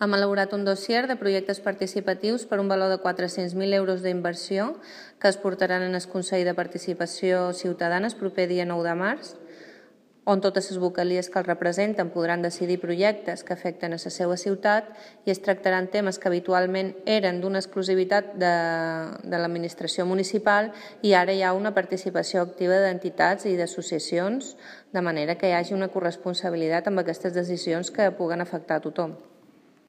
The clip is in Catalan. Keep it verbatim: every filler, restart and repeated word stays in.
Hem elaborat un dossier de projectes participatius per un valor de quatre-cents mil euros d'inversió que es portaran en el Consell de Participació Ciutadana el proper dia nou de març, on totes les vocalies que el representen podran decidir projectes que afecten a la seva ciutat i es tractaran temes que habitualment eren d'una exclusivitat de, de l'administració municipal i ara hi ha una participació activa d'entitats i d'associacions, de manera que hi hagi una corresponsabilitat amb aquestes decisions que puguen afectar a tothom.